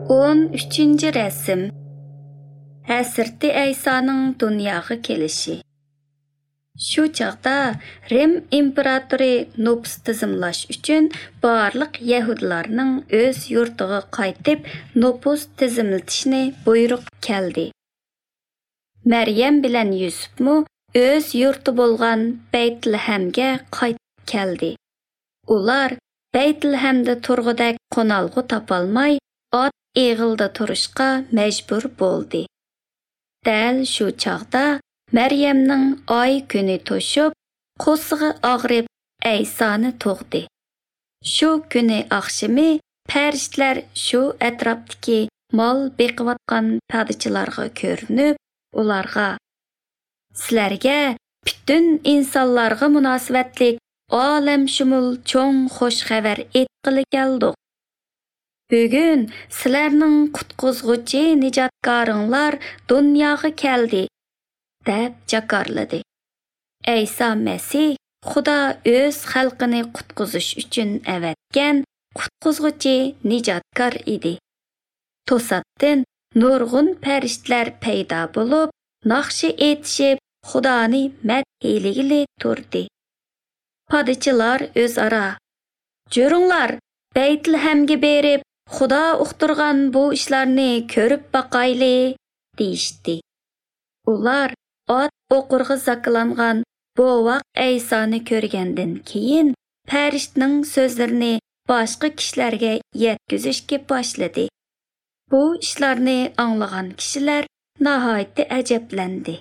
13 rasm. Hazrati Aysoning dunyoga kelishi. Shu chaqda Rim imperatori nupus tizimlash uchun barliq yahudlarning o'z yurtiga qaytib nupus tizimlatishni buyruq keldi. Maryam bilan Yusufmu o'z yurti bo'lgan Baytulhamga qaytib keldi. Ular Baytulhamda turg'udak qo'nalg'u topolmay, ot eg'ilda turishga majbur bo'ldi. Dal shu chaqda Maryamning oy kuni to'shib, qo'sig'i og'rib Aysoni tug'di. Shu kuni oqshimi farishtalar shu atrofdagi mol beqiyotgan podachilarga ko'rinib, ularga: "Sizlarga butun insonlarga munosabatlik olamshumul cho'ng xush xabar aytqili keldik. Bugun sizlarning qutqizg'uchi nijotkoringlar dunyoga keldi", deb jakarladi. Ayso Masih Xudo o'z xalqini qutqizish uchun avatgan qutqizg'uchi nijotkor edi. To'satdan nurg'un farishtalar paydo bo'lib, naqshi aytishib, Xudoni madhiyligili turdi. Podachilar o'zaro: "Juringlar, Baytulhamga berib, Xudo uqtirgan bu ishlarni ko'rib boqayli", deyishdi. Ular ot o'qirg'i zaklangan bovoq Aysoni ko'rgandan keyin farishtaning so'zlarini boshqa kishilarga yetkazishga boshladi. Bu ishlarni anglagan kishilar nihoyatda ajablandi.